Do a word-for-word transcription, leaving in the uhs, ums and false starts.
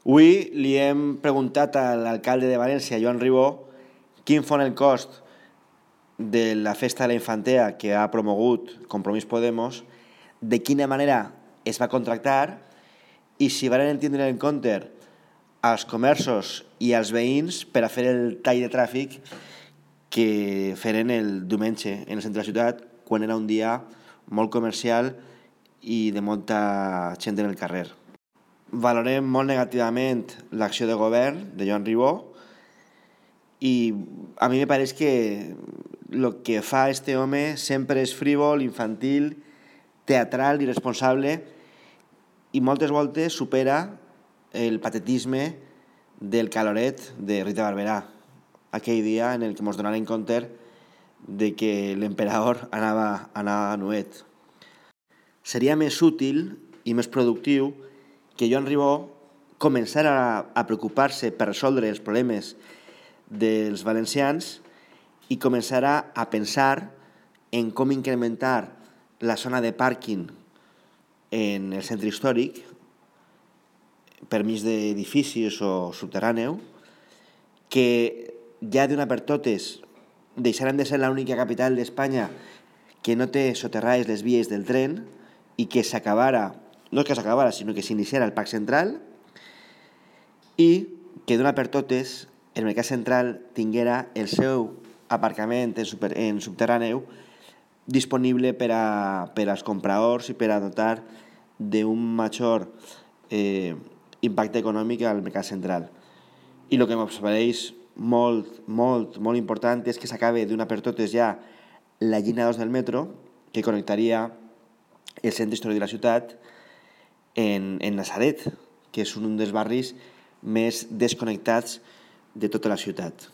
Avui li hem preguntat a l'alcalde de València, Joan Ribó, quin fon el cost de la festa de la infantea que ha promogut Compromís Podemos, de quina manera es va contractar i si van tindre en compte als comerços i als veïns per a fer el tall de tràfic que feren el diumenge en el centre de la ciutat, quan era un dia molt comercial i de molta gent en el carrer. Valorem molt negativament l'acció de govern de Joan Ribó i a mi me pareix que el que fa este home sempre és frívol, infantil, teatral, irresponsable i moltes voltes supera el patetisme del caloret de Rita Barberà, aquell dia en el que ens donaren compte de que l'emperador anava, anava nuet. Seria més útil i més productiu que Joan Ribó començara a, a preocupar-se per resoldre els problemes dels valencians i començara a pensar en com incrementar la zona de pàrquing en el centre històric per mig d'edificis o subterràneu, que ja d'una per totes deixaran de ser l'única capital d'Espanya que no té soterrades les vies del tren i que s'acabara, no que s'acabara, sinó que s'iniciara el Parc Central i que d'una per totes el Mercat Central tinguera el seu aparcament en, super, en subterràneu disponible per, a, per als compradors i per a dotar d'un major eh, impacte econòmic al Mercat Central. I el que em pareix molt, molt, molt important és que s'acabe d'una per totes ja la línia dos del metro que connectaria el centre històric de la ciutat en, en Natzaret, que és un dels barris més desconnectats de tota la ciutat.